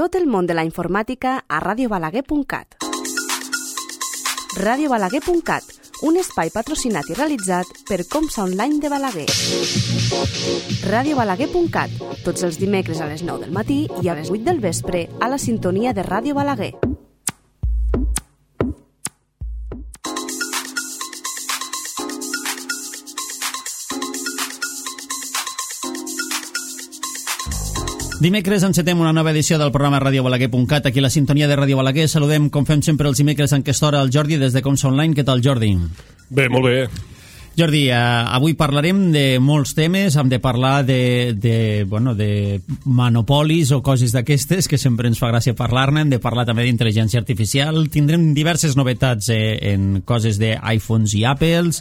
Tot el món de la informàtica a radiobalaguer.cat. radiobalaguer.cat, un espai patrocinat i realitzat per Comsa Online de Balaguer. radiobalaguer.cat, tots els dimecres a les 9 del matí i a les 8 del vespre a la sintonia de Ràdio Balaguer. Dimecres encetem una nova edició del programa radiobalaguer.cat, aquí a la sintonia de Ràdio Balaguer. Saludem, com fem sempre els dimecres en aquesta hora, el Jordi des de Comsa Online. Què tal, Jordi? Bé, molt bé. Jordi, avui parlarem de molts temes. Hem de parlar de monopolis o coses d'aquestes, que sempre ens fa gràcia parlar-ne. Hem de parlar també d'intel·ligència artificial. Tindrem diverses novetats en coses d'iPhones i Apples,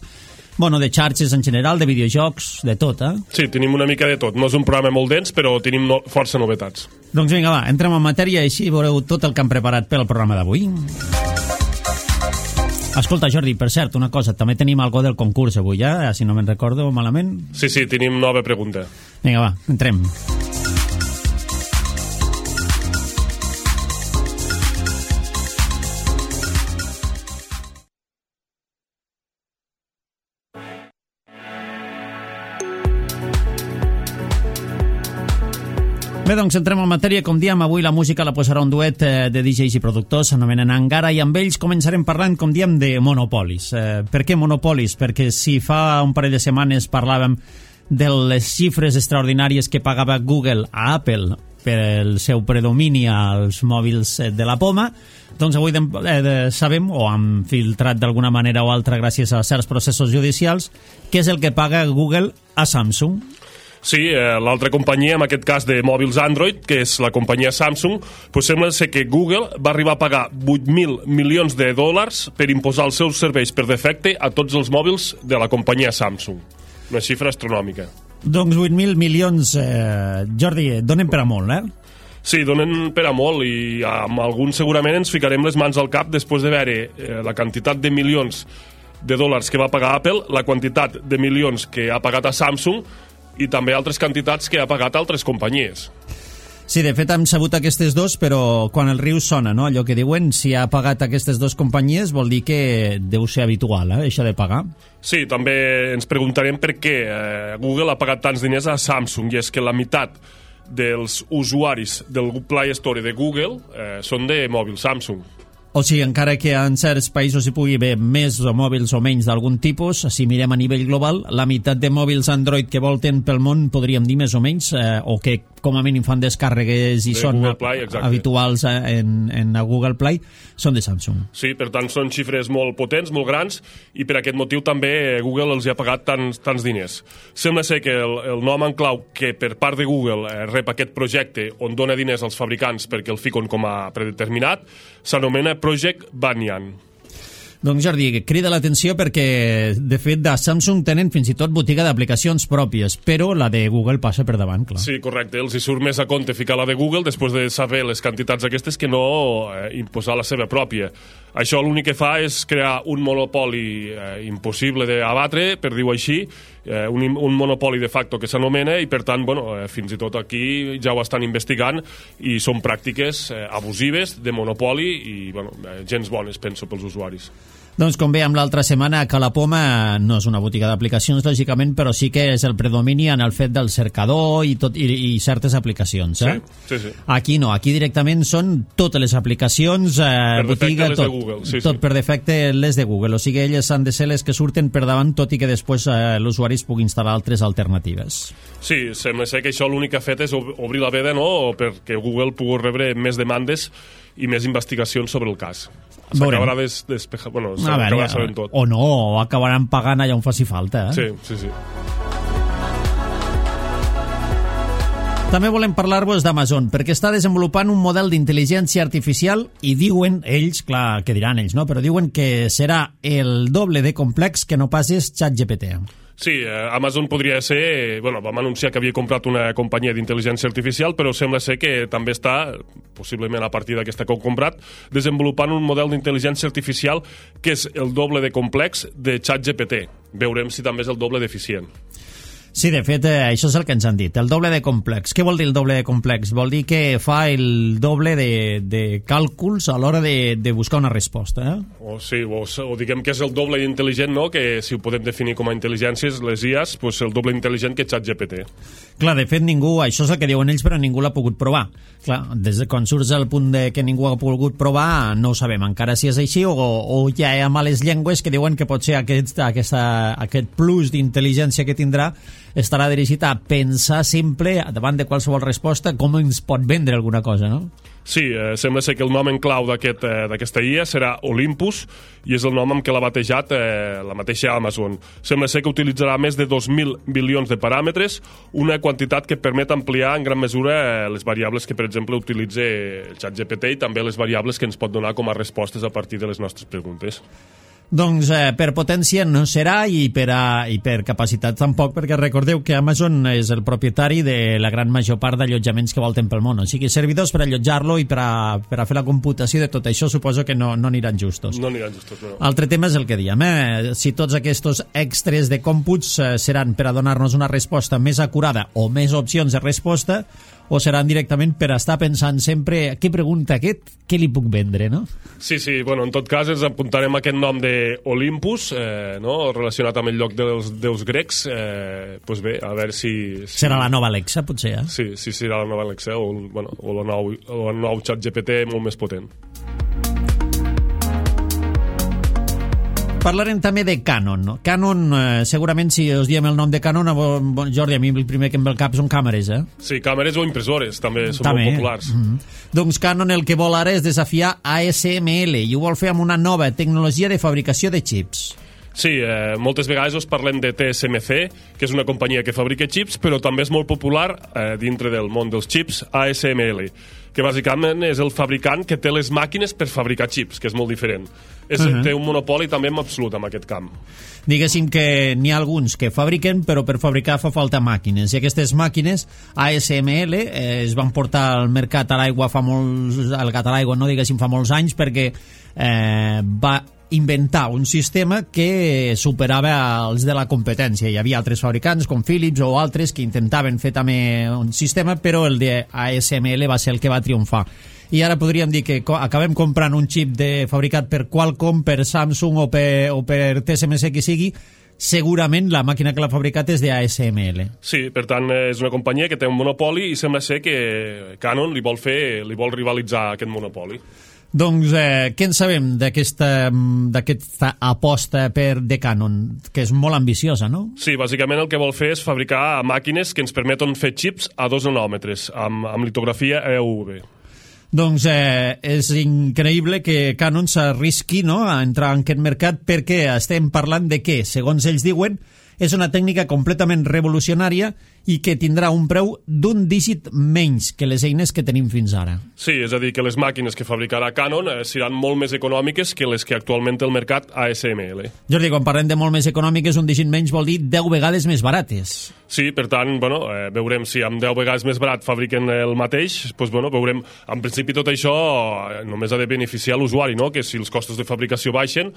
de xarxes en general, de videojocs, de tot, eh? Sí, tenim una mica de tot. No és un programa molt dens, però tenim força novetats. Doncs vinga, va, entrem en matèria i així veureu tot el que hem preparat per al programa d'avui. Escolta, Jordi, per cert, una cosa, també tenim algo del concurs avui, si no me'n recordo malament. Sí, tenim nova pregunta. Vinga, va, entrem. Bé, doncs entrem en matèria. Com diem, avui la música la posarà un duet de DJs i productors, s'anomenen Angara, i amb ells començarem parlant, com diem, de monopolis. Per què monopolis? Perquè si fa un parell de setmanes parlàvem de les xifres extraordinàries que pagava Google a Apple per el seu predomini als mòbils de la poma, doncs avui sabem, o hem filtrat d'alguna manera o altra gràcies a certs processos judicials, què és el que paga Google a Samsung. Sí, l'altra companyia, en aquest cas de mòbils Android, que és la companyia Samsung, sembla ser que Google va arribar a pagar 8.000 milions de dòlars per imposar els seus serveis per defecte a tots els mòbils de la companyia Samsung. Una xifra astronòmica. Doncs 8.000 milions, Jordi, donen per a molt, eh? Sí, donen per a molt, i amb alguns segurament ens ficarem les mans al cap després de veure la quantitat de milions de dòlars que va pagar Apple, la quantitat de milions que ha pagat a Samsung i també altres quantitats que ha pagat altres companyies. Sí, de fet hem sabut aquestes dos, però quan el riu sona, no? Allò que diuen, si ha pagat aquestes dues companyies vol dir que deu ser habitual, això de pagar. Sí, també ens preguntarem per què Google ha pagat tants diners a Samsung, i és que la meitat dels usuaris del Play Store de Google són de mòbil Samsung. O sigui, encara que en certs països hi pugui haver més o mòbils o menys d'algun tipus, si mirem a nivell global, la meitat de mòbils Android que volten pel món, podríem dir més o menys, o que com a mínim fan descàrregues i són habituals en Google Play, són de Samsung. Sí, per tant, són xifres molt potents, molt grans, i per aquest motiu també Google els ha pagat tants diners. Sembla ser que el nom en clau que per part de Google rep aquest projecte on dona diners als fabricants perquè el fiquen com a predeterminat s'anomena Project Banyan. Doncs Jordi, crida l'atenció perquè de fet de Samsung tenen fins i tot botiga d'aplicacions pròpies, però la de Google passa per davant, clar. Sí, correcte, els hi surt més a compte ficar la de Google després de saber les quantitats aquestes que no imposar la seva pròpia. Això l'únic que fa és crear un monopoli impossible d'abatre, per dir-ho així, un monopoli de facto que s'anomena, i per tant, fins i tot aquí ja ho estan investigant i són pràctiques abusives de monopoli i gens bones, penso, pels usuaris. Doncs com veiem l'altra setmana, que la Poma no és una botiga d'aplicacions, lògicament, però sí que és el predomini en el fet del cercador i certes aplicacions. Sí. Aquí no, aquí directament són totes les aplicacions, botiga, tot. Google, tot per defecte les de Google, o sigui, elles han de ser les que surten per davant, tot i que després l'usuari es pugui instal·lar altres alternatives. Sí, sembla ser que això l'únic que ha fet és obrir la veda, no?, perquè Google pugui rebre més demandes i més investigacions sobre el cas. S'acabarà despejar, s'acabarà sabent tot. O no, o acabaran pagant allà on faci falta, Sí. També volem parlar-vos d'Amazon, perquè està desenvolupant un model d'intel·ligència artificial i diuen ells, clar, que diran ells, no? Però diuen que serà el doble de complex que no pas és ChatGPT. Sí, Amazon podria ser... vam anunciar que havia comprat una companyia d'intel·ligència artificial, però sembla ser que també està, possiblement a partir d'aquesta que heu comprat, desenvolupant un model d'intel·ligència artificial que és el doble de complex de ChatGPT. Veurem si també és el doble d'eficient. Sí, de fet, això és el que ens han dit, el doble de complex. Què vol dir el doble de complex? Vol dir que fa el doble de càlculs a l'hora de buscar una resposta, O diguem que és el doble d'intel·ligent, no? Que si ho podem definir com a intel·ligències, les IAs, doncs el doble intel·ligent que ChatGPT. Clar, de fet, això és el que diuen ells, però ningú l'ha pogut provar. Clar, des de quan surts al punt de que ningú ha pogut provar, no ho sabem encara si és així, o ja hi ha males llengües que diuen que pot ser aquest plus d'intel·ligència que tindrà estarà dirigit a pensar sempre davant de qualsevol resposta com ens pot vendre alguna cosa, no? Sí, sembla ser que el nom en clau d'aquesta IA serà Olympus i és el nom amb què l'ha batejat la mateixa Amazon. Sembla ser que utilitzarà més de 2.000 bilions de paràmetres, una quantitat que permet ampliar en gran mesura les variables que, per exemple, utilitza el ChatGPT i també les variables que ens pot donar com a respostes a partir de les nostres preguntes. Doncs per potència no serà i per capacitat tampoc, perquè recordeu que Amazon és el propietari de la gran major part d'allotjaments que volten pel món, o sigui, servidors per allotjar-lo i per a fer la computació de tot això suposo que no aniran justos. No aniran justos, no. Altre tema és el que diem, si tots aquests extras de còmputs seran per a donar-nos una resposta més acurada o més opcions de resposta, o seran directament per estar pensant sempre què pregunta aquest, què li puc vendre, no? Sí, bueno, en tot cas ens apuntarem aquest nom d'Olympus, no? Relacionat amb el lloc dels déus grecs, doncs bé, a veure si... Serà la nova Alexa, potser, Sí, serà la nova Alexa, o el nou ChatGPT molt més potent. Parlarem també de Canon, no? Canon, segurament si us diem el nom de Canon, Jordi, a mi el primer que em ve al cap són càmeres, Sí, càmeres o impressores, també són molt populars. Doncs Canon el que vol ara és desafiar ASML i ho vol fer amb una nova tecnologia de fabricació de xips. Sí, moltes vegades us parlem de TSMC, que és una companyia que fabrica xips, però també és molt popular dintre del món dels xips ASML, que bàsicament és el fabricant que té les màquines per fabricar xips, que és molt diferent. Té un monopoli també absolut en aquest camp. Diguéssim que n'hi ha alguns que fabriquen, però per fabricar fa falta màquines. I aquestes màquines, ASML, es van portar al mercat a l'aigua al gat a l'aigua, no diguéssim fa molts anys, perquè va inventar un sistema que superava els de la competència. Hi havia altres fabricants com Philips o altres que intentaven fer també un sistema, però el de ASML va ser el que va triomfar. I ara podríem dir que acabem comprant un xip fabricat per Qualcomm, per Samsung o per TSMC que sigui, segurament la màquina que l'ha fabricat és de ASML. Sí, per tant, és una companyia que té un monopoli i sembla ser que Canon li vol rivalitzar aquest monopoli. Doncs què en sabem d'aquesta aposta de Canon, que és molt ambiciosa, no? Sí, bàsicament el que vol fer és fabricar màquines que ens permeten fer xips a 2 nanòmetres, amb litografia EUV. Doncs és increïble que Canon s'arrisqui, no?, a entrar en aquest mercat, perquè estem parlant de que, segons ells diuen, és una tècnica completament revolucionària i que tindrà un preu d'un dígit menys que les eines que tenim fins ara. Sí, és a dir, que les màquines que fabricarà Canon seran molt més econòmiques que les que actualment té el mercat ASML. Jordi, quan parlem de molt més econòmiques, un dígit menys vol dir 10 vegades més barates. Sí, per tant, veurem si amb 10 vegades més barat fabriquen el mateix, doncs veurem. En principi tot això només ha de beneficiar l'usuari, no?, que si els costos de fabricació baixen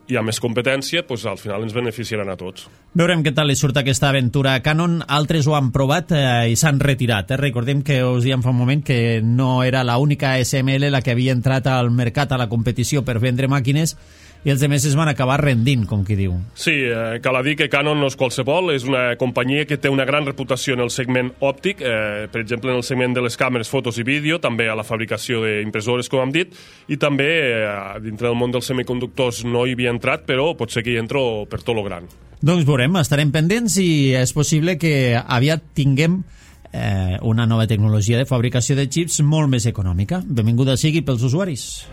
i ha més competència, doncs al final ens beneficiaran a tots. Veurem què tal li surt aquesta aventura a Canon. Altres ho han provat i s'han retirat. Recordem que us diem fa un moment que no era l'única ASML la que havia entrat al mercat, a la competició per vendre màquines, i els altres es van acabar rendint, com qui diu. Sí, cal dir que Canon no és qualsevol, és una companyia que té una gran reputació en el segment òptic, per exemple en el segment de les càmeres, fotos i vídeo, també a la fabricació d'impressores, com hem dit, i també dintre del món dels semiconductors no hi havia entrat, però pot ser que hi entro per tot lo gran. Doncs veurem, estarem pendents i és possible que aviat tinguem una nova tecnologia de fabricació de xips molt més econòmica. Benvinguda sigui pels usuaris.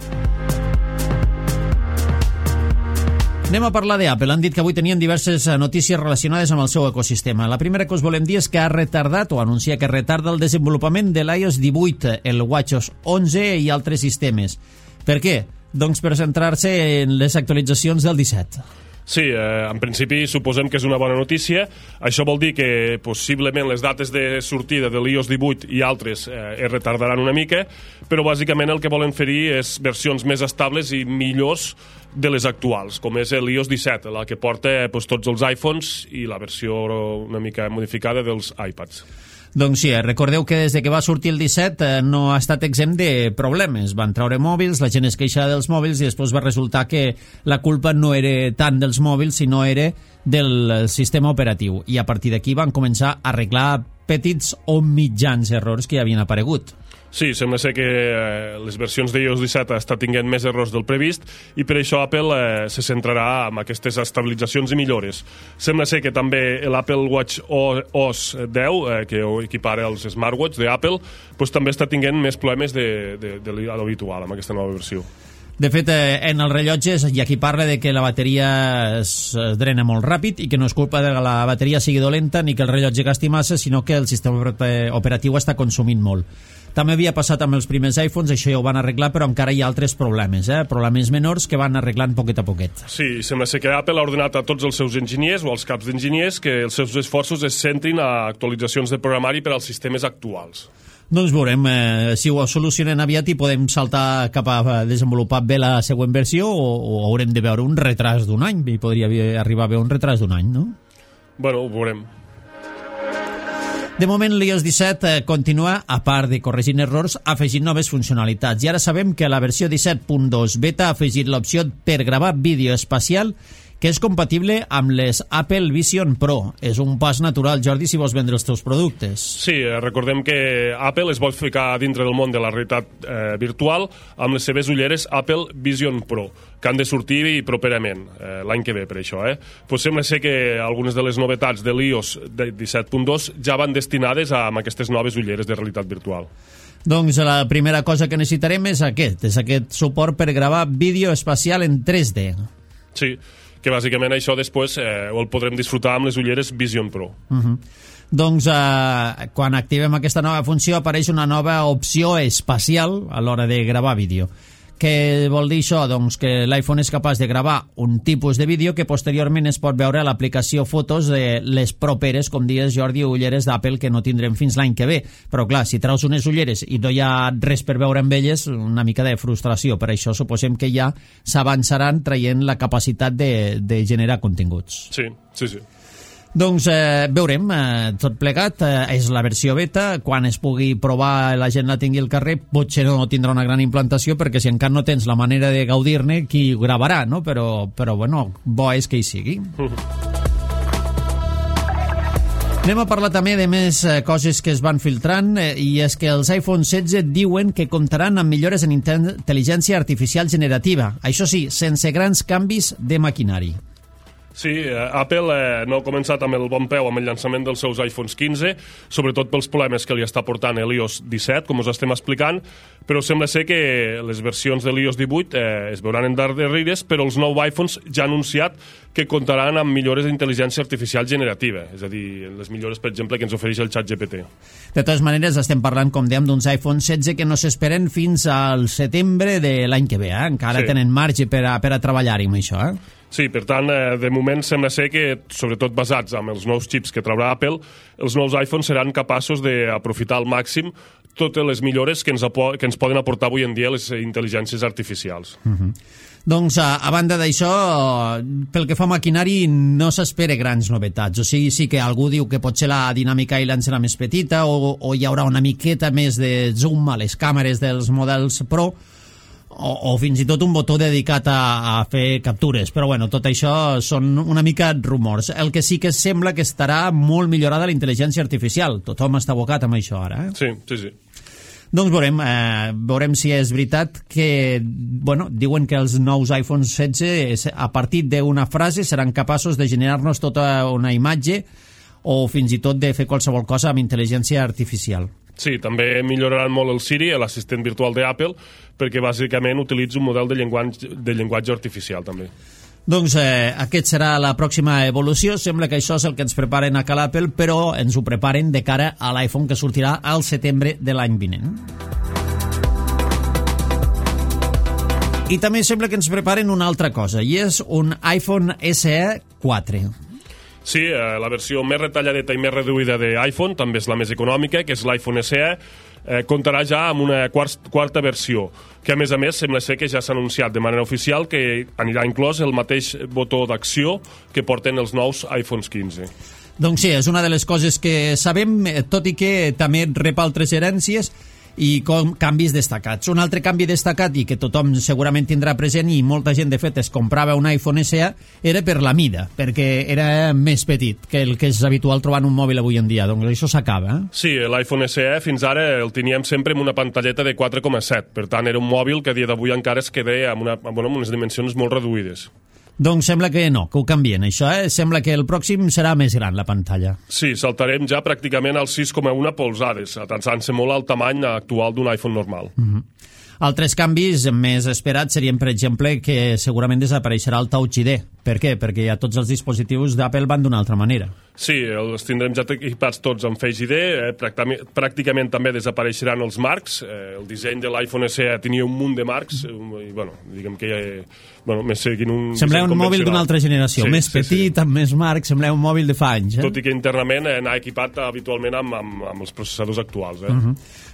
Anem a parlar d'Apple. Han dit que avui tenien diverses notícies relacionades amb el seu ecosistema. La primera que us volem dir és que ha retardat o anuncia que retarda el desenvolupament de l'iOS 18, el WatchOS 11 i altres sistemes. Per què? Doncs per centrar-se en les actualitzacions del 17. Sí, en principi suposem que és una bona notícia. Això vol dir que possiblement les dates de sortida de l'iOS 18 i altres es retardaran una mica, però bàsicament el que volen fer-hi és versions més estables i millors de les actuals, com és l'iOS 17, la que porta tots els iPhones i la versió una mica modificada dels iPads. Doncs sí, recordeu que des de que va sortir el 17 no ha estat exempt de problemes. Van treure mòbils, la gent es queixava dels mòbils i després va resultar que la culpa no era tant dels mòbils, sinó era del sistema operatiu. I a partir d'aquí van començar a arreglar petits o mitjans errors que ja havien aparegut. Sí, sembla ser que les versions d'iOS 17 estan tinguent més errors del previst i per això Apple se centrarà en aquestes estabilitzacions i millores. Sembla ser que també l'Apple Watch OS 10, que equipara els smartwatch d'Apple, també està tinguent més problemes de l'habitual amb aquesta nova versió. De fet, en els rellotges hi ha qui parla de que la bateria es drena molt ràpid i que no és culpa de que la bateria sigui dolenta ni que el rellotge gasti massa, sinó que el sistema operatiu està consumint molt. També havia passat amb els primers iPhones, això ja ho van arreglar, però encara hi ha altres problemes, problemes menors que van arreglant poquet a poquet. Sí, sembla ser que Apple ha ordenat a tots els seus enginyers o als caps d'enginyers que els seus esforços es centrin a actualitzacions de programari per als sistemes actuals. Doncs veurem si ho solucionen aviat i podem saltar cap a desenvolupar bé la següent versió o haurem de veure un retras d'un any, i podria arribar a veure un retras d'un any, no? Bueno, ho veurem. De moment, l'iOS 17 continua, a part de corregint errors, afegint noves funcionalitats. I ara sabem que la versió 17.2 beta ha afegit l'opció per gravar vídeo espacial que és compatible amb les Apple Vision Pro. És un pas natural, Jordi, si vols vendre els teus productes. Sí, recordem que Apple es vol ficar dintre del món de la realitat virtual amb les seves ulleres Apple Vision Pro, que han de sortir properament, l'any que ve, per això. Pues sembla ser que algunes de les novetats de l'iOS 17.2 ja van destinades a aquestes noves ulleres de realitat virtual. Doncs la primera cosa que necessitarem és aquest suport per gravar vídeo espacial en 3D. Sí, que bàsicament això després el podrem disfrutar amb les ulleres Vision Pro. Doncs quan activem aquesta nova funció apareix una nova opció espacial a l'hora de gravar vídeo. Què vol dir això? Doncs que l'iPhone és capaç de gravar un tipus de vídeo que posteriorment es pot veure a l'aplicació Fotos de les properes, com dies, Jordi, ulleres d'Apple que no tindrem fins l'any que ve. Però clar, si traus unes ulleres i no hi ha res per veure amb elles, una mica de frustració. Per això suposem que ja s'avançaran traient la capacitat de generar continguts. Sí. Doncs veurem, tot plegat, és la versió beta, quan es pugui provar la gent la tingui al carrer, potser no tindrà una gran implantació, perquè si encara no tens la manera de gaudir-ne, qui ho gravarà, no? Però bueno, bo és que hi sigui. Anem a parlar també de més coses que es van filtrant, i és que els iPhone 16 diuen que comptaran amb millores en intel·ligència artificial generativa, això sí, sense grans canvis de maquinari. Sí, Apple no ha començat amb el bon peu amb el llançament dels seus iPhones 15, sobretot pels problemes que li està portant l'iOS 17, com us estem explicant, però sembla ser que les versions de l'iOS 18 es veuran endarrerides, però els nous iPhones ja han anunciat que comptaran amb millores d'intel·ligència artificial generativa, és a dir, les millores, per exemple, que ens ofereix el ChatGPT. De totes maneres, estem parlant, com dèiem, d'uns iPhone 16 que no s'esperen fins al setembre de l'any que ve, encara tenen marge per a treballar-hi amb això, Sí, per tant, de moment sembla ser que, sobretot basats en els nous xips que traurà Apple, els nous iPhones seran capaços d'aprofitar al màxim totes les millores que ens poden aportar avui en dia les intel·ligències artificials. Doncs, a banda d'això, pel que fa a maquinari, no s'espera grans novetats. O sigui, sí que algú diu que potser la dinàmica island serà més petita o hi haurà una miqueta més de zoom a les càmeres dels models Pro, o fins i tot un botó dedicat a fer captures, però bueno, tot això són una mica rumors. El que sí que sembla que estarà molt millorada la intel·ligència artificial. Tothom està abocat amb això ara, Sí. Doncs veurem si és veritat que, diuen que els nous iPhone 16 a partir d'una frase seran capaços de generar-nos tota una imatge o fins i tot de fer qualsevol cosa amb intel·ligència artificial. Sí, també milloraran molt el Siri, l'assistent virtual d'Apple, perquè bàsicament utilitza un model de llenguatge artificial, també. Doncs aquest serà la pròxima evolució. Sembla que això és el que ens preparen a Cal Apple, però ens ho preparen de cara a l'iPhone que sortirà al setembre de l'any vinent. I també sembla que ens preparen una altra cosa, i és un iPhone SE 4. Sí, la versió més retalladeta i més reduïda d'iPhone, també és la més econòmica, que és l'iPhone SE, comptarà ja amb una quarta versió, que a més sembla ser que ja s'ha anunciat de manera oficial que anirà inclòs el mateix botó d'acció que porten els nous iPhones 15. Doncs sí, és una de les coses que sabem, tot i que també rep altres herències i canvis destacats. Un altre canvi destacat i que tothom segurament tindrà present, i molta gent de fet es comprava un iPhone SE, era per la mida, perquè era més petit que el que és habitual trobar en un mòbil avui en dia. Doncs això s'acaba. Sí, l'iPhone SE fins ara el teníem sempre amb una pantalleta de 4,7, per tant era un mòbil que a dia d'avui encara es queda amb unes dimensions molt reduïdes. Doncs sembla que no, que ho canvien, això, Sembla que el pròxim serà més gran, la pantalla. Sí, saltarem ja pràcticament als 6,1 polzades, atançant-se molt al tamany actual d'un iPhone normal. Altres canvis més esperats serien, per exemple, que segurament desapareixerà el Touch ID. Per què? Perquè ja tots els dispositius d'Apple van d'una altra manera. Sí, els tindrem ja equipats tots amb Face ID, pràcticament també desapareixeran els marcs, el disseny de l'iPhone SE tenia un munt de marcs, i diguem que més seguint un semblava un mòbil d'una altra generació, més petit, amb més marcs, semblava un mòbil de fa anys. Tot i que internament anar equipat habitualment amb els processadors actuals.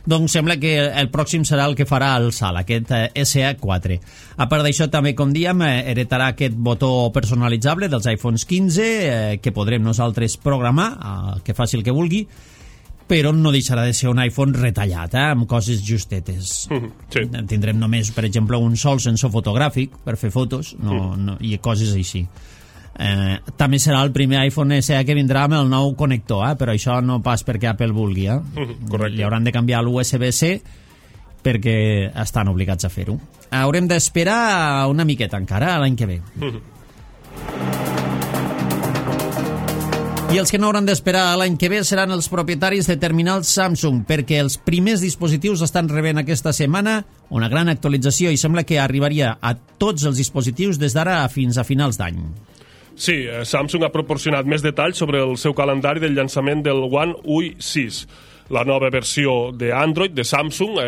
Doncs sembla que el pròxim serà el que farà el salt, aquest SE4. A part d'això, també, com diem, heretarà aquest botó personalitzable dels iPhones 15, que podrem nosaltres programar, que faci el que vulgui, però no deixarà de ser un iPhone retallat, amb coses justetes. Sí. Tindrem només, per exemple, un sol sensor fotogràfic per fer fotos i coses així. També serà el primer iPhone SE que vindrà amb el nou connector, però això no pas perquè Apple vulgui. Correcte. Li hauran de canviar l'USB-C perquè estan obligats a fer-ho. Haurem d'esperar una miqueta encara, l'any que ve. I els que no hauran d'esperar l'any que ve seran els propietaris de terminals Samsung, perquè els primers dispositius estan rebent aquesta setmana una gran actualització i sembla que arribaria a tots els dispositius des d'ara fins a finals d'any. Sí, Samsung ha proporcionat més detalls sobre el seu calendari del llançament del One UI 6, la nova versió d'Android de Samsung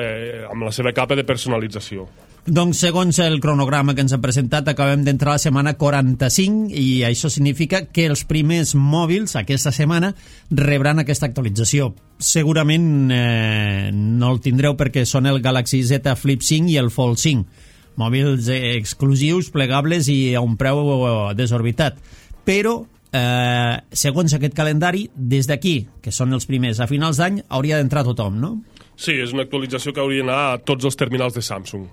amb la seva capa de personalització. Doncs segons el cronograma que ens ha presentat, acabem d'entrar a la setmana 45 i això significa que els primers mòbils aquesta setmana rebran aquesta actualització. Segurament no el tindreu perquè són el Galaxy Z Flip 5 i el Fold 5. Mòbils exclusius, plegables i a un preu desorbitat. Però, segons aquest calendari, des d'aquí, que són els primers a finals d'any, hauria d'entrar tothom, no? Sí, és una actualització que hauria d'anar a tots els terminals de Samsung.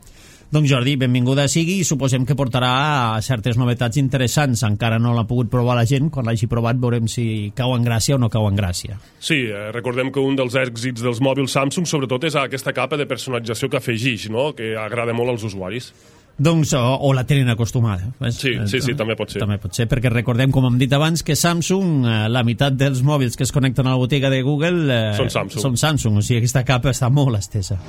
Doncs Jordi, benvinguda sigui i suposem que portarà certes novetats interessants. Encara no l'ha pogut provar la gent, quan l'hagi provat veurem si cau en gràcia o no cau en gràcia. Sí, recordem que un dels èxits dels mòbils Samsung sobretot és aquesta capa de personalització que afegeix, no? Que agrada molt als usuaris. Doncs, o la tenen acostumada. Sí, també pot ser. També pot ser, perquè recordem, com hem dit abans, que Samsung, la meitat dels mòbils que es connecten a la botiga de Google són Samsung, o sigui, aquesta capa està molt estesa.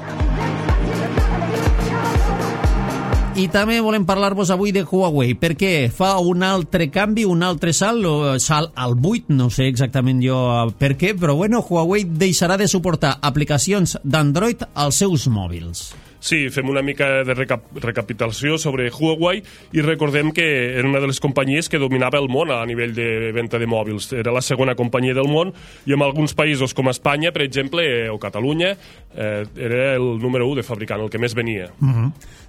I també volem parlar-vos avui de Huawei, perquè fa un altre canvi, un altre salt al buit, no sé exactament jo per què, però bueno, Huawei deixarà de suportar aplicacions d'Android als seus mòbils. Sí, fem una mica de recapitulació sobre Huawei i recordem que era una de les companyies que dominava el món a nivell de venda de mòbils. Era la segona companyia del món i en alguns països com Espanya, per exemple, o Catalunya, era el número 1 de fabricant, el que més venia.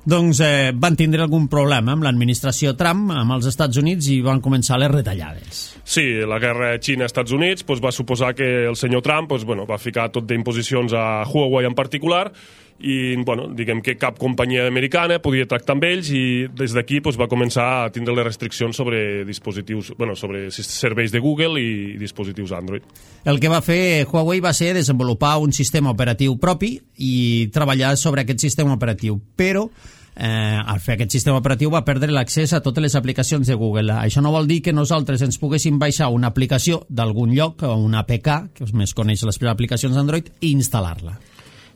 Doncs van tindre algun problema amb l'administració Trump, amb els Estats Units, i van començar les retallades. Sí, la guerra Xina-Estats Units va suposar que el senyor Trump va ficar tot d'imposicions a Huawei en particular i diguem que cap companyia americana podia tractar amb ells i des d'aquí va començar a tindre les restriccions sobre dispositius, sobre serveis de Google i dispositius Android. El que va fer Huawei va ser desenvolupar un sistema operatiu propi i treballar sobre aquest sistema operatiu, però al fer aquest sistema operatiu va perdre l'accés a totes les aplicacions de Google. Això no vol dir que nosaltres ens poguéssim baixar una aplicació d'algun lloc, o una APK, que més coneix les aplicacions d'Android, i instal·lar-la.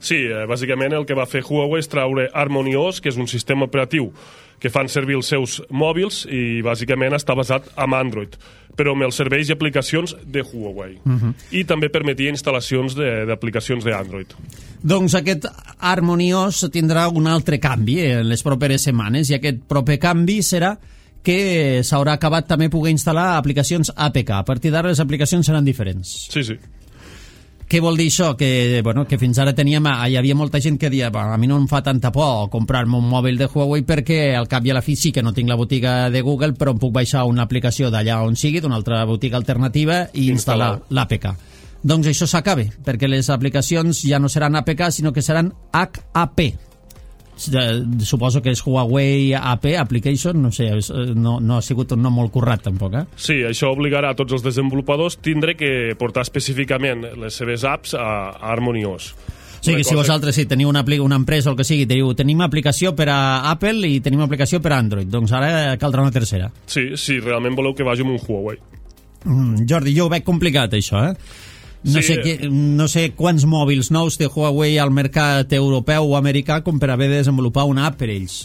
Sí, bàsicament el que va fer Huawei és traure HarmonyOS, que és un sistema operatiu que fan servir els seus mòbils i bàsicament està basat en Android, però amb els serveis i aplicacions de Huawei. I també permetia instal·lacions d'aplicacions d'Android. Doncs aquest HarmonyOS tindrà un altre canvi en les properes setmanes, i aquest proper canvi serà que s'haurà acabat també poder instal·lar aplicacions APK. A partir d'ara les aplicacions seran diferents. Sí, sí. Què vol dir això? Que fins ara hi havia molta gent que deia a mi no em fa tanta por comprar-me un mòbil de Huawei perquè al cap i a la fi sí que no tinc la botiga de Google, però em puc baixar una aplicació d'allà on sigui, d'una altra botiga alternativa, i instal·lar l'APK. Doncs això s'acaba, perquè les aplicacions ja no seran APK, sinó que seran HAP. Suposo que és Huawei AP Application, no sé, no ha sigut un nom molt currat tampoc, eh? Sí, això obligarà a tots els desenvolupadors tindre que portar específicament les seves apps a HarmonyOS. O sigui, si vosaltres teniu una empresa o el que sigui, tenim aplicació per a Apple i tenim aplicació per a Android, doncs ara caldrà una tercera. Sí, realment voleu que vagi amb un Huawei. Jordi, jo ho veig complicat, això, eh? No sé quants mòbils nous té Huawei al mercat europeu o americà com per haver de desenvolupar una app per ells.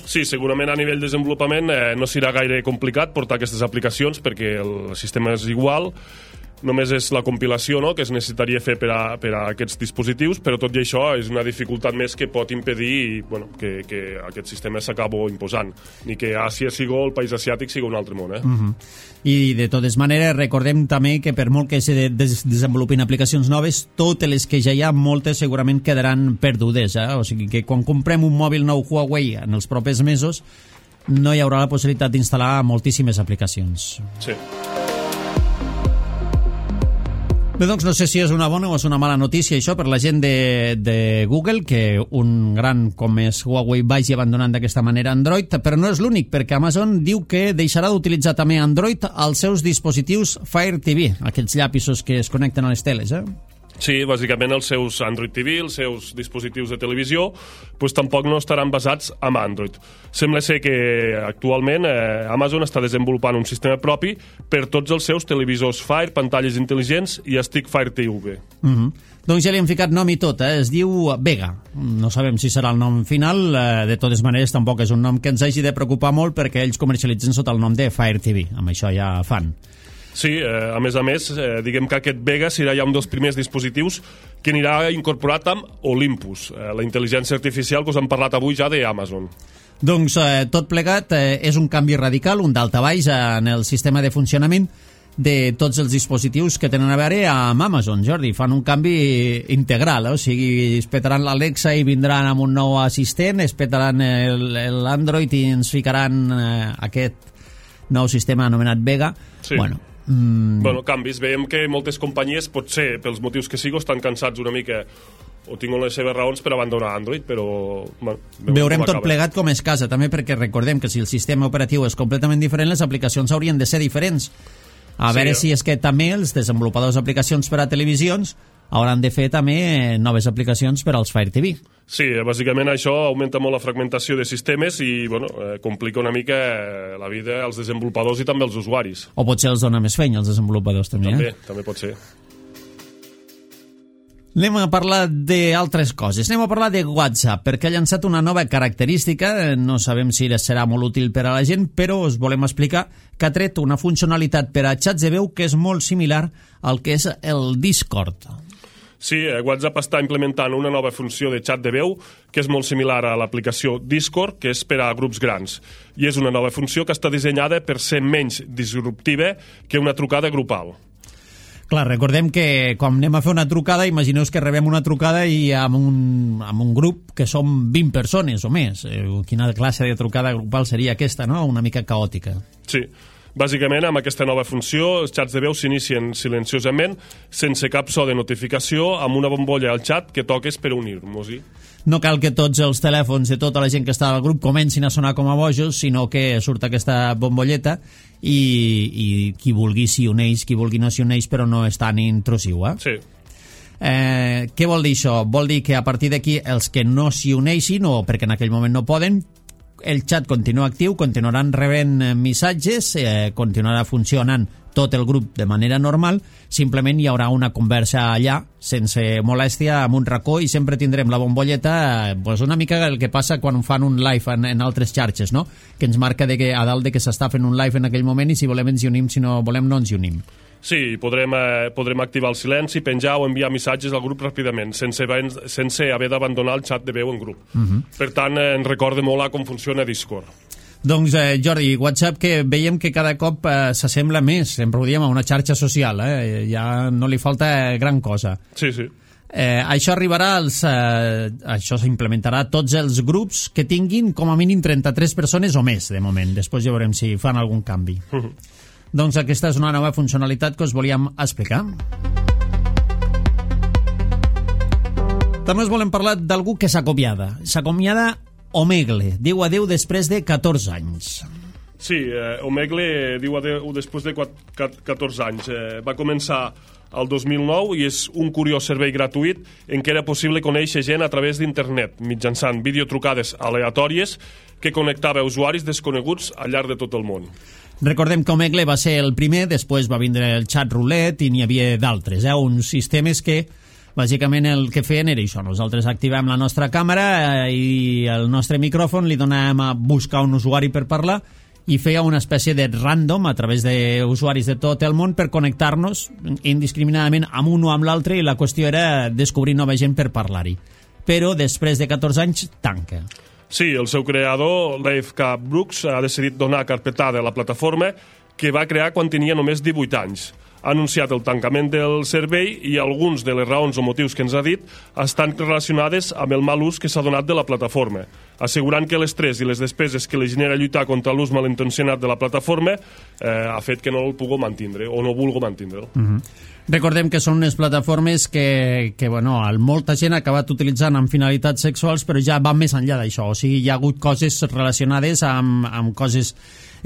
Sí, segurament a nivell de desenvolupament no serà gaire complicat portar aquestes aplicacions perquè el sistema és igual, només és la compilació, no?, que es necessitaria fer per a aquests dispositius, però tot i això és una dificultat més que pot impedir que aquest sistema s'acabo imposant, ni que Àsia sigui el país asiàtic sigui un altre món. I de totes maneres recordem també que per molt que se desenvolupin aplicacions noves, totes les que ja hi ha, moltes segurament quedaran perdudes, o sigui que quan comprem un mòbil nou Huawei en els propers mesos no hi haurà la possibilitat d'instal·lar moltíssimes aplicacions. Sí. Bé, doncs no sé si és una bona o és una mala notícia això per la gent de Google, que un gran com és Huawei vagi abandonant d'aquesta manera Android, però no és l'únic, perquè Amazon diu que deixarà d'utilitzar també Android als seus dispositius Fire TV, aquests llapisos que es connecten a les teles, Sí, bàsicament els seus Android TV, els seus dispositius de televisió, doncs tampoc no estaran basats en Android. Sembla ser que actualment Amazon està desenvolupant un sistema propi per tots els seus televisors Fire, pantalles intel·ligents i Stick Fire TV. Doncs ja li hem ficat nom i tot, es diu Vega. No sabem si serà el nom final, de totes maneres tampoc és un nom que ens hagi de preocupar molt perquè ells comercialitzen sota el nom de Fire TV, amb això ja fan. Sí, a més, diguem que aquest Vega serà ja un dels primers dispositius que anirà incorporat amb Olympus, la intel·ligència artificial que us hem parlat avui ja d'Amazon. Doncs tot plegat és un canvi radical, un daltabaix en el sistema de funcionament de tots els dispositius que tenen a veure amb Amazon, Jordi. Fan un canvi integral, o sigui, es petaran l'Alexa i vindran amb un nou assistent, es petaran l'Android i ens ficaran aquest nou sistema anomenat Vega. Sí. Canvis. Veiem que moltes companyies, potser pels motius que sigo, estan cansats una mica o tinguin les seves raons per abandonar Android, però veurem tot plegat com es casa, també perquè recordem que si el sistema operatiu és completament diferent, les aplicacions haurien de ser diferents. A veure si és que també els desenvolupadors d'aplicacions per a televisions hauran de fer també noves aplicacions per als Fire TV. Sí, bàsicament això augmenta molt la fragmentació de sistemes i complica una mica la vida als desenvolupadors i també als usuaris. O potser els dona més feina als desenvolupadors també. També pot ser. Anem a parlar d'altres coses. Anem a parlar de WhatsApp, perquè ha llançat una nova característica, no sabem si serà molt útil per a la gent, però us volem explicar que ha tret una funcionalitat per a xats de veu que és molt similar al que és el Discord. Sí, WhatsApp està implementant una nova funció de xat de veu que és molt similar a l'aplicació Discord, que és per a grups grans. I és una nova funció que està dissenyada per ser menys disruptiva que una trucada grupal. Clar, recordem que quan anem a fer una trucada, imagineu que rebem una trucada i amb un grup que som 20 persones o més. Quina classe de trucada grupal seria aquesta, no? Una mica caòtica. Sí. Bàsicament, amb aquesta nova funció, els xats de veu s'inicien silenciosament, sense cap so de notificació, amb una bombolla al xat que toques per unir-nos-hi. No cal que tots els telèfons de tota la gent que està al grup comencin a sonar com a bojos, sinó que surt aquesta bombolleta i qui vulgui s'hi uneix, qui vulgui no s'hi uneix, però no és tan intrusiu, Sí. Què vol dir això? Vol dir que a partir d'aquí els que no s'hi uneixin, o perquè en aquell moment no poden, el xat continua actiu, continuaran rebent missatges, continuarà funcionant tot el grup de manera normal, simplement hi haurà una conversa allà, sense molèstia, amb un racó, i sempre tindrem la bombolleta, pues una mica el que passa quan fan un live en altres xarxes, no? Que ens marca a dalt de que s'està fent un live en aquell moment, i si volem ens hi unim, si no volem no ens hi unim. Sí, podrem activar el silenci, penjar o enviar missatges al grup ràpidament, sense haver d'abandonar el xat de veu en grup. Per tant, ens recorda molt a com funciona Discord. Doncs, Jordi, WhatsApp, que veiem que cada cop s'assembla més, sempre ho diem, a una xarxa social, ja no li falta gran cosa. Sí. Això arribarà això s'implementarà a tots els grups que tinguin com a mínim 33 persones o més, de moment. Després ja veurem si fan algun canvi. Doncs aquesta és una nova funcionalitat que us volíem explicar. També us volem parlar d'algú que s'acomiada. S'acomiada Omegle. Diu adeu després de 14 anys. Sí, Omegle diu adeu després de 14 anys. Va començar el 2009 i és un curiós servei gratuït en què era possible conèixer gent a través d'internet, mitjançant videotrucades aleatòries que connectava usuaris desconeguts al llarg de tot el món. Recordem que Omegle va ser el primer, després va vindre el xat roulette i n'hi havia d'altres, uns sistemes que bàsicament el que feien era això: nosaltres activem la nostra càmera i el nostre micròfon, li donàvem a buscar un usuari per parlar i feia una espècie de random a través d'usuaris de tot el món per connectar-nos indiscriminadament amb un o amb l'altre, i la qüestió era descobrir nova gent per parlar-hi. Però després de 14 anys tanca. Sí, el seu creador, Leif K. Brooks, ha decidit donar carpetada a la plataforma que va crear quan tenia només 18 anys. Ha anunciat el tancament del servei i alguns de les raons o motius que ens ha dit estan relacionades amb el mal ús que s'ha donat de la plataforma, assegurant que l'estrès i les despeses que li genera lluitar contra l'ús malintencionat de la plataforma ha fet que no el pugui mantindre o no vulgui mantindre'l. Recordem que són unes plataformes que molta gent ha acabat utilitzant amb finalitats sexuals, però ja van més enllà d'això. O sigui, hi ha hagut coses relacionades amb coses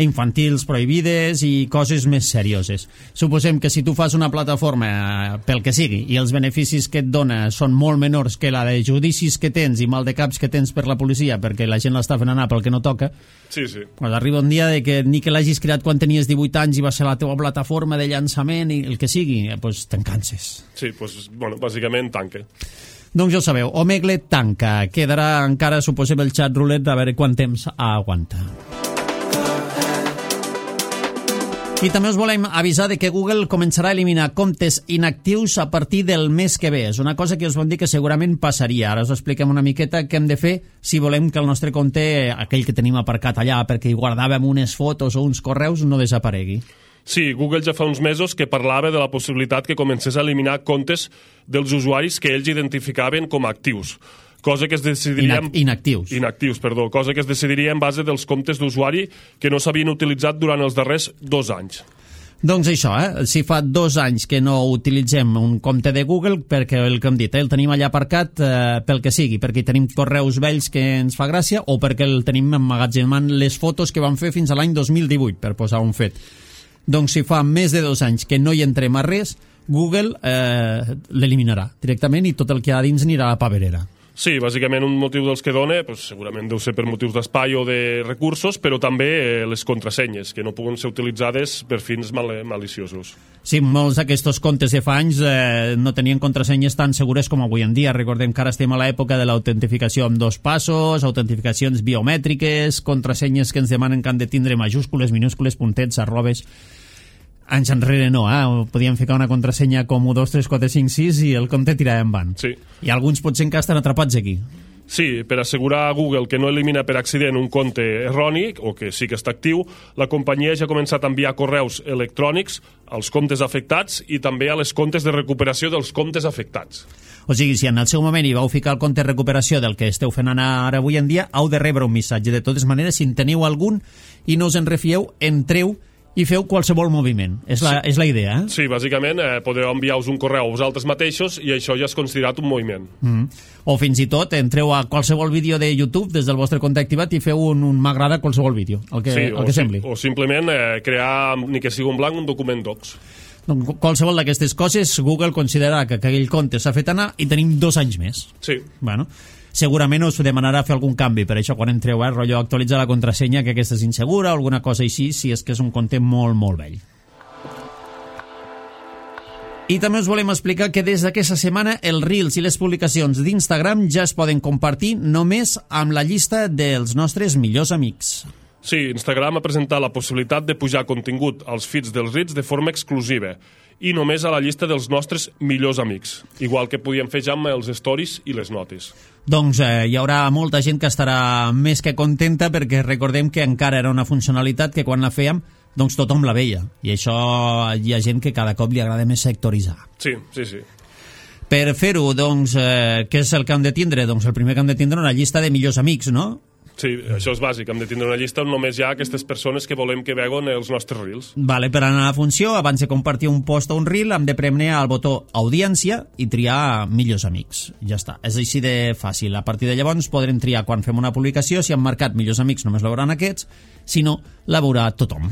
infantils prohibides i coses més serioses. Suposem que si tu fas una plataforma pel que sigui i els beneficis que et dona són molt menors que la de judicis que tens i mal de caps que tens per la policia perquè la gent l'està fent anar pel que no toca, sí. Pues arriba un dia de que ni que l'hagis creat quan tenies 18 anys i va ser la teva plataforma de llançament i el que sigui, pues te'n canses. Sí, bàsicament tanca. Doncs ja ho sabeu, Omegle tanca. Quedarà encara, suposem, el xat roulette a veure quant temps aguanta. I també us volem avisar de que Google començarà a eliminar comptes inactius a partir del mes que ve. És una cosa que us vam dir que segurament passaria. Ara us expliquem una miqueta què hem de fer si volem que el nostre compte, aquell que tenim aparcat allà perquè hi guardàvem unes fotos o uns correus, no desaparegui. Sí, Google ja fa uns mesos que parlava de la possibilitat que comencés a eliminar comptes dels usuaris que ells identificaven com a actius. Cosa que es decidiria... Inactius, cosa que es decidiria en base dels comptes d'usuari que no s'havien utilitzat durant els darrers 2 anys. Doncs això, si fa 2 anys que no utilitzem un compte de Google, perquè el que hem dit, el tenim allà aparcat pel que sigui, perquè hi tenim correus vells que ens fa gràcia, o perquè el tenim emmagatzemant les fotos que vam fer fins a l'any 2018, per posar un fet. Doncs si fa més de 2 anys que no hi entrem a res, Google l'eliminarà directament i tot el que hi ha dins anirà a la paperera. Sí, bàsicament un motiu dels que dona, segurament deu ser per motius d'espai o de recursos, però també les contrasenyes, que no puguen ser utilitzades per fins maliciosos. Sí, molts d'aquests comptes de fa anys no tenien contrasenyes tan segures com avui en dia. Recordem que ara estem a l'època de l'autentificació amb 2 passos, autentificacions biomètriques, contrasenyes que ens demanen que han de tindre majúscules, minúscules, puntets, arrobes... Anys enrere no, podíem ficar una contrasenya com 1, 2, 3, 4, 5, 6 i el compte tirava en van. Sí. I alguns potser encara estan atrapats aquí. Sí, per assegurar a Google que no elimina per accident un compte erroni, o que sí que està actiu, la companyia ja ha començat a enviar correus electrònics als comptes afectats i també a les comptes de recuperació dels comptes afectats. O sigui, si en el seu moment hi vau ficar el compte de recuperació del que esteu fent anar ara avui en dia, heu de rebre un missatge. De totes maneres, si en teniu algun i no us en refieu, entreu i feu qualsevol moviment. És la idea, Sí, bàsicament podeu enviar-vos un correu a vosaltres mateixos i això ja és considerat un moviment. O fins i tot entreu a qualsevol vídeo de YouTube des del vostre compte activat i feu un m'agrada a qualsevol vídeo, el que sembli. O simplement crear, ni que sigui un blanc, un document docs. Doncs qualsevol d'aquestes coses Google considerarà que aquell compte s'ha fet anar i tenim 2 anys més. Sí. Bueno, segurament us demanarà fer algun canvi, per això quan entreu, rotllo actualitzar la contrasenya, que aquesta és insegura o alguna cosa així, si és que és un compte molt, molt vell. I també us volem explicar que des d'aquesta setmana els Reels i les publicacions d'Instagram ja es poden compartir només amb la llista dels nostres millors amics. Sí, Instagram ha presentat la possibilitat de pujar contingut als feeds dels Reels de forma exclusiva i només a la llista dels nostres millors amics, igual que podíem fer ja amb els stories i les notes. Doncs hi haurà molta gent que estarà més que contenta perquè recordem que encara era una funcionalitat que quan la fèiem doncs tothom la veia, i això hi ha gent que cada cop li agrada més sectoritzar. Sí. Per fer-ho, doncs, què és el que hem de tindre? Doncs el primer que hem de tindre una llista de millors amics, no? Sí, això és bàsic, hem de tindre una llista on només hi ha aquestes persones que volem que veuen els nostres Reels. Vale, per anar a la funció, abans de compartir un post o un Reel, hem de premer al botó Audiència i triar millors amics. Ja està, és així de fàcil. A partir de llavors podrem triar quan fem una publicació, si hem marcat millors amics només la veuran aquests, si no, la veurà tothom.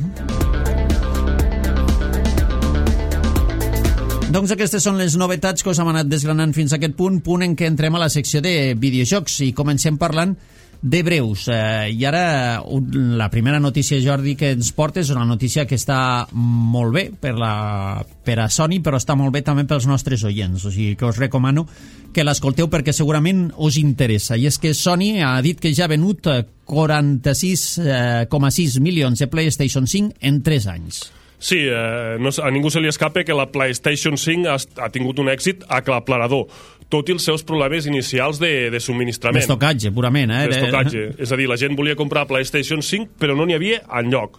Doncs aquestes són les novetats que us hem anat desgranant fins a aquest punt en què entrem a la secció de videojocs i comencem parlant de breus. I ara la primera notícia, Jordi, que ens portes és una notícia que està molt bé per a Sony, però està molt bé també pels nostres oients, o sigui que us recomano que l'escolteu perquè segurament us interessa. I és que Sony ha dit que ja ha venut 46,6 milions de PlayStation 5 en 3 anys. Sí, a ningú se li escapa que la PlayStation 5 ha tingut un èxit aclaparador, tot i els seus problemes inicials de subministrament. D'estocatge, purament. D'estocatge. És a dir, la gent volia comprar PlayStation 5, però no n'hi havia enlloc.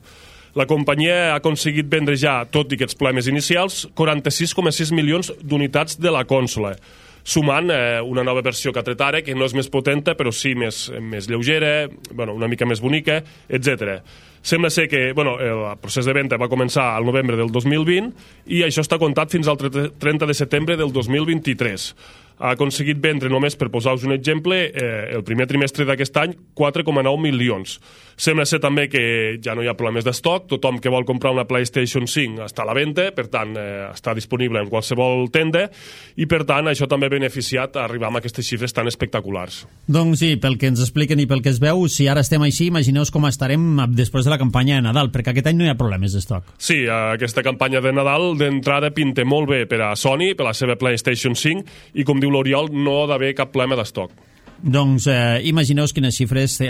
La companyia ha aconseguit vendre ja, tot i aquests problemes inicials, 46,6 milions d'unitats de la consola, sumant una nova versió que ha tret ara, que no és més potenta, però sí més lleugera, una mica més bonica, etc. Sembla ser que el procés de venda va començar al novembre del 2020 i això està comptat fins al 30 de setembre del 2023. Ha aconseguit vendre només, per posar-vos un exemple, el primer trimestre d'aquest any, 4,9 milions. Sembla ser també que ja no hi ha problemes d'estoc, tothom que vol comprar una PlayStation 5 està a la venda, per tant, està disponible en qualsevol tenda, i per tant, això també ha beneficiat a arribar a aquestes xifres tan espectaculars. Doncs sí, pel que ens expliquen i pel que es veu, si ara estem així, imagineu com estarem després de la campanya de Nadal, perquè aquest any no hi ha problemes d'estoc. Sí, aquesta campanya de Nadal d'entrada pinta molt bé per a Sony, per la seva PlayStation 5, i com diu l'Oriol, no ha d'haver cap problema d'estoc. Doncs imagineu quines xifres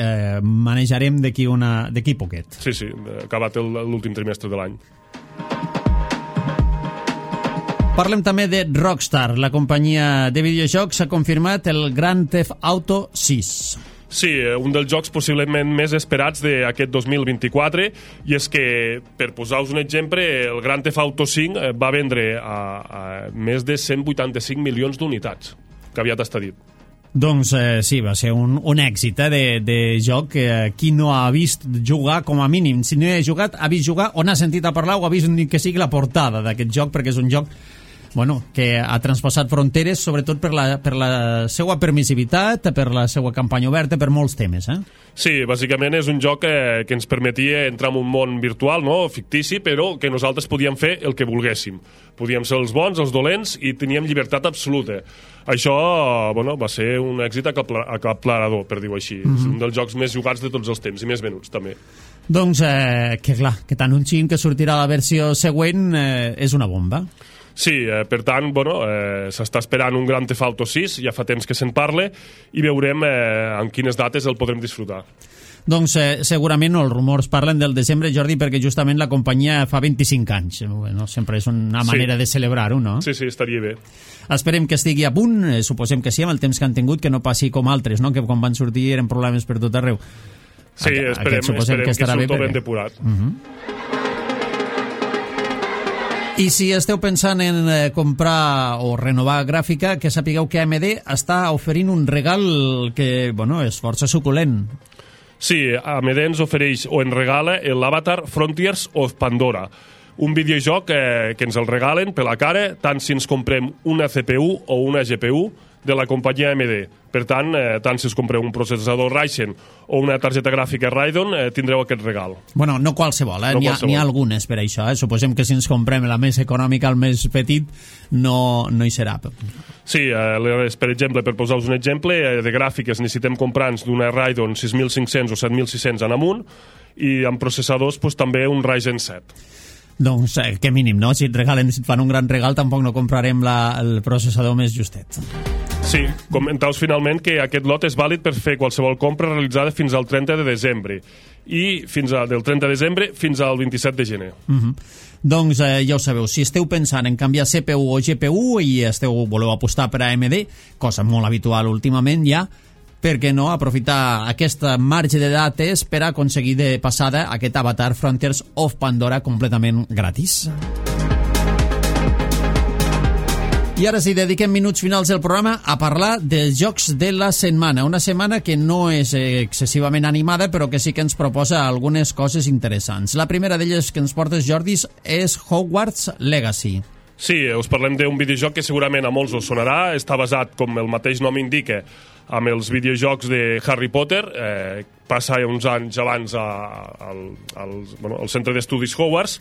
manejarem d'aquí poquet. Sí, acabat l'últim trimestre de l'any. Parlem també de Rockstar. La companyia de videojocs ha confirmat el Grand Theft Auto 6. Sí, un dels jocs possiblement més esperats d'aquest 2024, i és que, per posar-vos un exemple, el Grand Theft Auto 5 va vendre a més de 185 milions d'unitats, que aviat està dit. Doncs sí, va ser un èxit de joc que qui no ha vist jugar, com a mínim, si no hi ha jugat, ha vist jugar o n'ha sentit a parlar o ha vist ni que sigui la portada d'aquest joc, perquè és un joc que ha transpassat fronteres, sobretot per la seva permissivitat, per la seva campanya oberta, per molts temes. Sí, bàsicament és un joc que ens permetia entrar en un món virtual, fictici, però que nosaltres podíem fer el que volguéssim. Podíem ser els bons, els dolents, i teníem llibertat absoluta. Això va ser un èxit aclaparador, per dir-ho així. És un dels jocs més jugats de tots els temps, i més venuts, també. Doncs, que clar, que t'anunciïn que sortirà la versió següent és una bomba. Sí, per tant, s'està esperant un Grand Theft Auto 6, ja fa temps que se'n parla, i veurem en quines dates el podrem disfrutar. Doncs segurament els rumors parlen del desembre, Jordi, perquè justament la companyia fa 25 anys. Sempre és una manera de celebrar-ho, no? Sí, estaria bé. Esperem que estigui a punt, suposem que sí, amb el temps que han tingut, que no passi com altres, que quan van sortir eren problemes per tot arreu. Sí, esperem que surto ben depurat. I si esteu pensant en comprar o renovar gràfica, que sapigueu que AMD està oferint un regal que, és força suculent. Sí, AMD ens ofereix o en regala l'Avatar Frontiers of Pandora, un videojoc que ens el regalen per la cara, tant si ens comprem una CPU o una GPU de la companyia AMD. Per tant, tant si us compreu un processador Ryzen o una targeta gràfica Radeon, tindreu aquest regal. No qualsevol, n'hi ha algunes per això. Suposem que si ens comprem la més econòmica, el més petit, no hi serà. Sí, per exemple, per posar-vos un exemple, de gràfiques necessitem comprar-nos d'una Radeon 6500 o 7600 en amunt, i amb processadors també un Ryzen 7. Doncs que mínim, no? Si et fan un gran regal, tampoc no comprarem el processador més justet. Sí, comentaus finalment que aquest lot és vàlid per fer qualsevol compra realitzada fins al 30 de desembre i del 30 de desembre fins al 27 de gener. Doncs ja ho sabeu, si esteu pensant en canviar CPU o GPU i voleu apostar per AMD, cosa molt habitual últimament ja, per què no aprofitar aquesta marge de dates per aconseguir de passada aquest Avatar Frontiers of Pandora completament gratis. I ara sí, dediquem minuts finals del programa a parlar dels jocs de la setmana. Una setmana que no és excessivament animada, però que sí que ens proposa algunes coses interessants. La primera d'elles que ens portes, Jordi, és Hogwarts Legacy. Sí, us parlem d'un videojoc que segurament a molts us sonarà. Està basat, com el mateix nom indica, amb els videojocs de Harry Potter. Passa uns anys abans al centre d'estudis Hogwarts,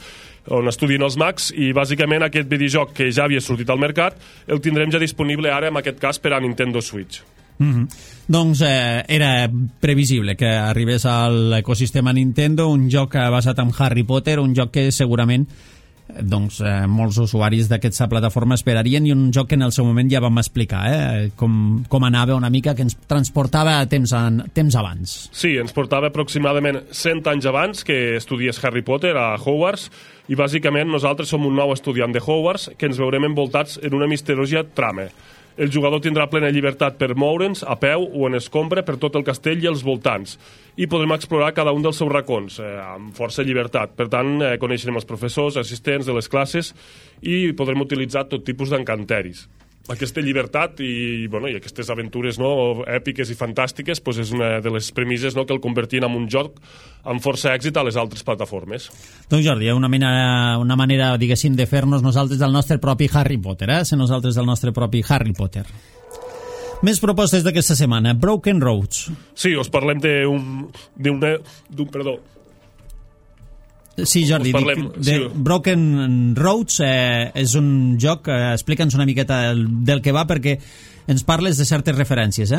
on estudien els mags, i bàsicament aquest videojoc que ja havia sortit al mercat el tindrem ja disponible ara, en aquest cas, per a Nintendo Switch. Doncs era previsible que arribés a l'ecosistema Nintendo un joc basat en Harry Potter, un joc que segurament molts usuaris d'aquesta plataforma esperarien, i un joc que en el seu moment ja vam explicar com anava una mica, que ens transportava a temps abans. Sí, ens portava aproximadament 100 anys abans que estudies Harry Potter a Hogwarts, i bàsicament nosaltres som un nou estudiant de Hogwarts que ens veurem envoltats en una misteriosa trama. El jugador tindrà plena llibertat per moure'ns a peu o en escombra per tot el castell i els voltants, i podrem explorar cada un dels seus racons amb força llibertat. Per tant, coneixerem els professors, assistents de les classes, i podrem utilitzar tot tipus d'encanteris. Aquesta llibertat i aquestes aventures èpiques i fantàstiques és una de les premisses que el convertien en un joc amb força èxit a les altres plataformes. Doncs Jordi, una manera, diguéssim, de fer-nos nosaltres del nostre propi Harry Potter, ser nosaltres del nostre propi Harry Potter. Més propostes d'aquesta setmana. Broken Roads. Sí, us parlem perdó. Sí, Jordi, Broken Roads és un joc, explica'ns una miqueta del que va, perquè ens parles de certes referències,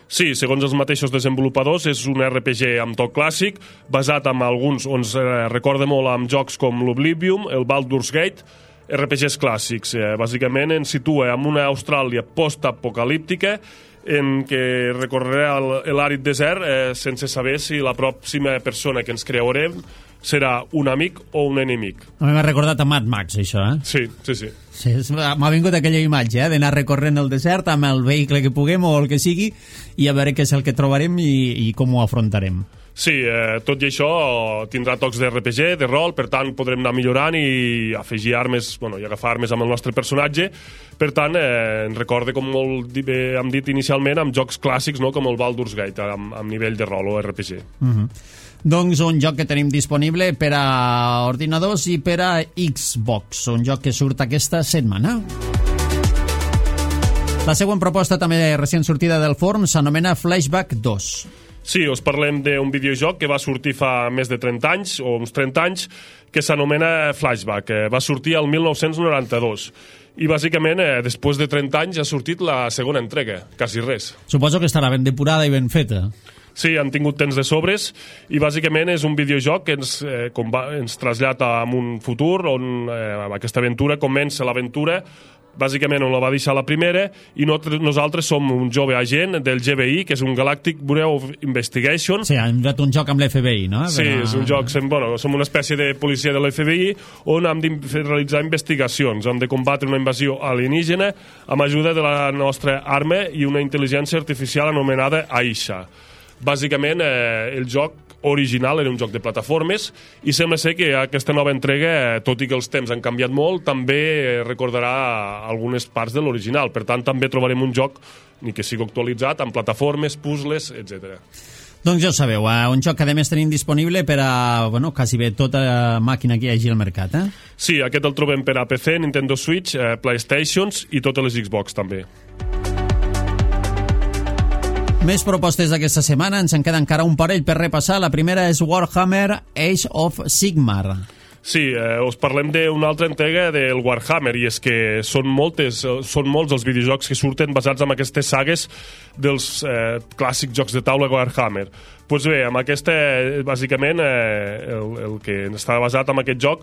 Sí, segons els mateixos desenvolupadors, és un RPG amb toc clàssic, basat en alguns, on es recorda molt amb jocs com l'Oblivion, el Baldur's Gate, RPGs clàssics. Bàsicament ens situa en una Austràlia post-apocalíptica, en què recorrerà l'àrid desert sense saber si la pròxima persona que ens creurem serà un amic o un enemic. A mi m'ha recordat a Mad Max, això, Sí. M'ha vingut aquella imatge, d'anar recorrent el desert amb el vehicle que puguem o el que sigui, i a veure què és el que trobarem i com ho afrontarem. Sí, tot i això tindrà tocs d'RPG, de rol, per tant podrem anar millorant i afegir armes, i agafar armes amb el nostre personatge. Per tant, ens recorda, com molt bé hem dit inicialment, amb jocs clàssics, com el Baldur's Gate, amb nivell de rol o RPG. Doncs un joc que tenim disponible per a ordinadors i per a Xbox, un joc que surt aquesta setmana. La següent proposta, també recent sortida del forn, s'anomena Flashback 2. Sí, us parlem d'un videojoc que va sortir fa més de 30 anys, o uns 30 anys, que s'anomena Flashback. Va sortir el 1992. I bàsicament, després de 30 anys, ha sortit la segona entrega, quasi res. Suposo que estarà ben depurada i ben feta. Sí, han tingut temps de sobres, i bàsicament és un videojoc que ens trasllada a un futur on aquesta aventura comença l'aventura bàsicament on la va deixar la primera, i nosaltres som un jove agent del GBI, que és un Galactic Bureau of Investigation. Sí, hem fet un joc amb l'FBI, no? Sí, és un joc, som una espècie de policia de l'FBI on hem de realitzar investigacions, hem de combatre una invasió alienígena amb ajuda de la nostra arma i una intel·ligència artificial anomenada Aisha. Bàsicament, el joc original era un joc de plataformes, i sembla ser que aquesta nova entrega, tot i que els temps han canviat molt, també recordarà algunes parts de l'original. Per tant, també trobarem un joc ni que sigui actualitzat amb plataformes, puzzles, etc. Doncs ja ho sabeu, un joc que a més tenim disponible per a quasi bé tota màquina que hi hagi al mercat. Sí, aquest el trobem per a PC, Nintendo Switch, PlayStations i totes les Xbox també. Més propostes d'aquesta setmana, ens en queda encara un parell per repassar. La primera és Warhammer Age of Sigmar. Sí, us parlem d'una altra entrega del Warhammer, i és que són molts els videojocs que surten basats en aquestes sagues dels clàssics jocs de taula Warhammer. Doncs bé, amb aquesta, bàsicament, el que està basat en aquest joc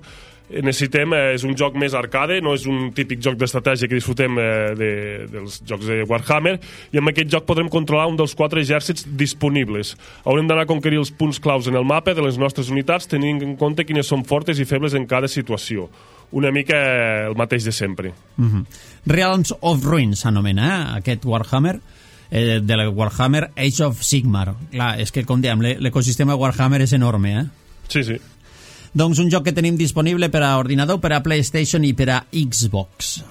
necessitem, és un joc més arcade, no és un típic joc d'estratègia que disfrutem dels jocs de Warhammer, i amb aquest joc podrem controlar un dels 4 exèrcits disponibles. Haurem d'anar a conquerir els punts claus en el mapa de les nostres unitats, tenint en compte quines són fortes i febles en cada situació. Una mica el mateix de sempre. Realms of Ruin s'anomena, aquest Warhammer, de la Warhammer Age of Sigmar. Clar, és que, com diem, l'ecosistema Warhammer és enorme, Sí, sí. Doncs un joc que tenim disponible per a ordinador, per a PlayStation i per a Xbox.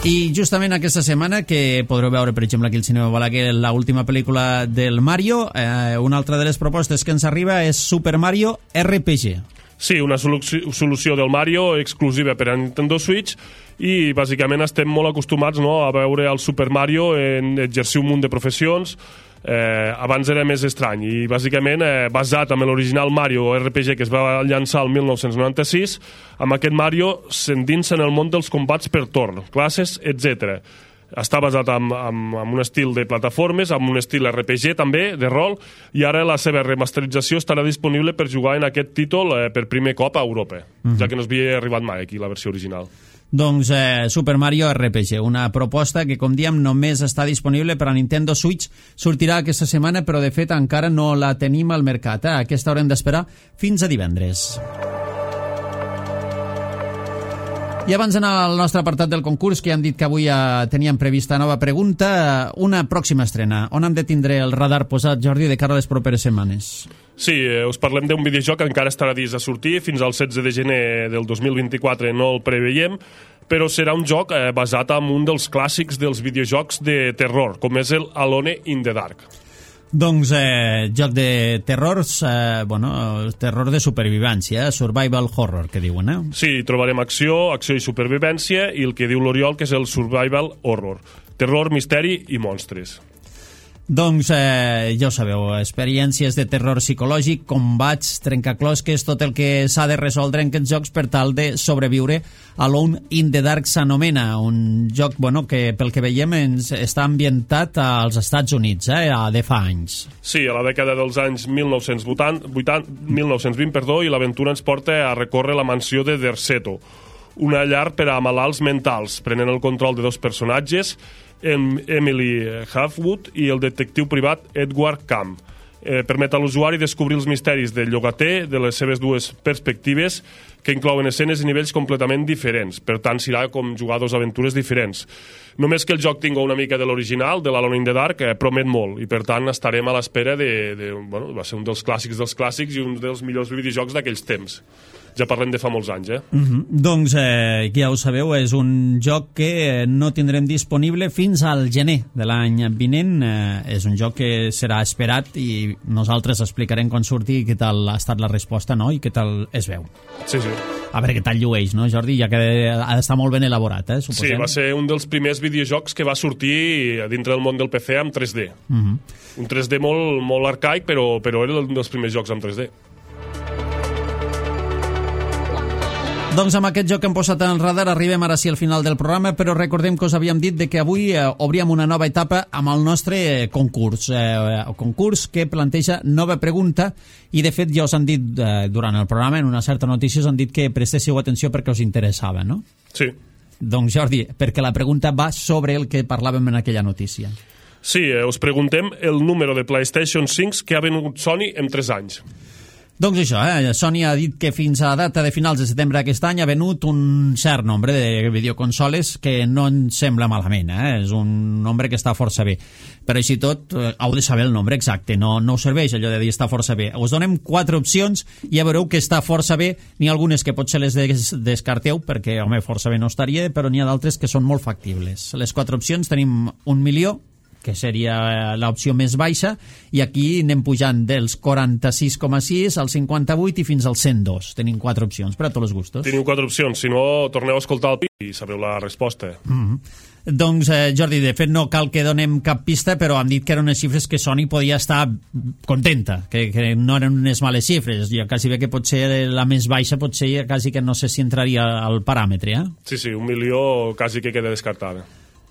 I justament aquesta setmana, que podreu veure, per exemple, aquí al Cinema Balaguer, l'última pel·lícula del Mario, una altra de les propostes que ens arriba és Super Mario RPG. Sí, una solució del Mario exclusiva per a Nintendo Switch, i bàsicament estem molt acostumats, no, a veure el Super Mario en exercir un munt de professions. Abans era més estrany, i bàsicament basat en l'original Mario RPG que es va llançar el 1996, amb aquest Mario s'endinsa en el món dels combats per torn, classes, etc. Està basat en un estil de plataformes, amb un estil RPG també, de rol, i ara la seva remasterització estarà disponible per jugar en aquest títol per primer cop a Europa, ja que no es havia arribat mai aquí la versió original. Doncs Super Mario RPG, una proposta que, com diem, només està disponible per a Nintendo Switch. Sortirà aquesta setmana, però de fet encara no la tenim al mercat. Aquesta haurem d'esperar fins a divendres. I abans d'anar al nostre apartat del concurs, que ja hem dit que avui teníem prevista nova pregunta, una pròxima estrena. On hem de tindre el radar posat, Jordi, de cara a les properes setmanes? Sí, us parlem d'un videojoc que encara estarà dins a sortir, fins al 16 de gener del 2024 no el preveiem, però serà un joc basat en un dels clàssics dels videojocs de terror, com és el Alone in the Dark. Doncs joc de terrors, terror de supervivència, survival horror, que diuen, Sí, trobarem acció i supervivència, i el que diu l'Oriol, que és el survival horror. Terror, misteri i monstres. Doncs ja ho sabeu, experiències de terror psicològic, combats, trencaclosques, tot el que s'ha de resoldre en aquests jocs per tal de sobreviure. Alone in the Dark s'anomena, un joc que pel que veiem està ambientat als Estats Units, de fa anys. Sí, a la dècada dels anys 1920, i l'aventura ens porta a recórrer la mansió de Derceto, una llar per a malalts mentals, prenent el control de 2 personatges, Emily Halfwood i el detectiu privat Edward Camp. Permet a l'usuari descobrir els misteris del llogater de les seves 2 perspectives, que inclouen escenes i nivells completament diferents. Per tant, serà com jugar 2 aventures diferents. Només que el joc tingui una mica de l'original, de l'Alone in the Dark, promet molt, i per tant estarem a l'espera va ser un dels clàssics i un dels millors videojocs d'aquells temps. Ja parlem de fa molts anys, Doncs, ja ho sabeu, és un joc que no tindrem disponible fins al gener de l'any vinent. És un joc que serà esperat i nosaltres explicarem quan surti què tal ha estat la resposta, no?, i què tal es veu. Sí, sí. A veure què tal llueix, no, Jordi? Ja que ha d'estar molt ben elaborat, suposem. Sí, va ser un dels primers videojocs que va sortir dintre del món del PC amb 3D. Un 3D molt, molt arcaic, però era un dels primers jocs amb 3D. Doncs amb aquest joc que hem posat en el radar arribem ara sí al final del programa, però recordem que us havíem dit que avui obríem una nova etapa amb el nostre concurs. Concurs que planteja nova pregunta i de fet ja us han dit durant el programa, en una certa notícia us han dit que prestéssiu atenció perquè us interessava, no? Sí. Doncs Jordi, perquè la pregunta va sobre el que parlàvem en aquella notícia. Sí, us preguntem el número de PlayStation 5 que ha venut Sony en 3 anys. Doncs això, Sony ha dit que fins a la data de finals de setembre d'aquest any ha venut un cert nombre de videoconsoles que no ens sembla malament, és un nombre que està força bé. Però així tot, heu de saber el nombre exacte, no us serveix allò de dir està força bé. Us donem 4 opcions i ja veureu que està força bé, n'hi ha algunes que potser les descarteu, perquè, home, força bé no estaria, però n'hi ha d'altres que són molt factibles. Les 4 opcions tenim 1 milió, que seria l'opció més baixa, i aquí anem pujant dels 46,6 al 58 i fins al 102. Tenim 4 opcions, per a tots els gustos. Teniu 4 opcions, si no, torneu a escoltar el pi i sabreu la resposta. Doncs, Jordi, de fet no cal que donem cap pista, però han dit que eren unes xifres que Sony podia estar contenta, que no eren unes males xifres. Jo quasi bé que potser la més baixa, potser quasi que no sé si entraria al paràmetre, Sí, 1 milió quasi que queda descartada.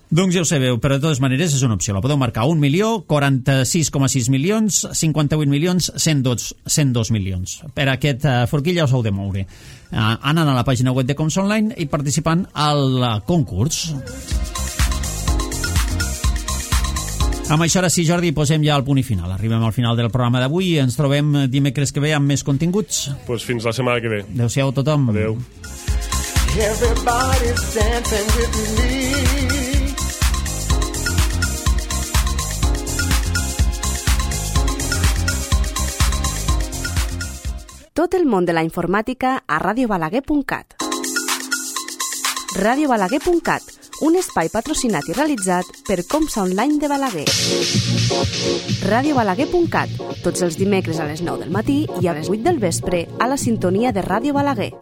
Doncs ja ho sabeu, però de totes maneres és una opció. La podeu marcar 1 milió, 46,6 milions, 58 milions, 102 milions. Per aquest forquilla us heu de moure. Anant a la pàgina web de Coms Online i participant al concurs. Amb això, ara sí, Jordi, posem ja el punt i final. Arribem al final del programa d'avui i ens trobem dimecres que ve amb més continguts. Pues fins la setmana que ve. Adéu-siau a tothom. Adéu. Everybody's dancing with me. Tot el món de la informàtica a radiobalaguer.cat. Radiobalaguer.cat, un espai patrocinat i realitzat per Comsa Online de Balaguer. Radiobalaguer.cat, tots els dimecres a les 9 del matí i a les 8 del vespre a la sintonia de Ràdio Balaguer.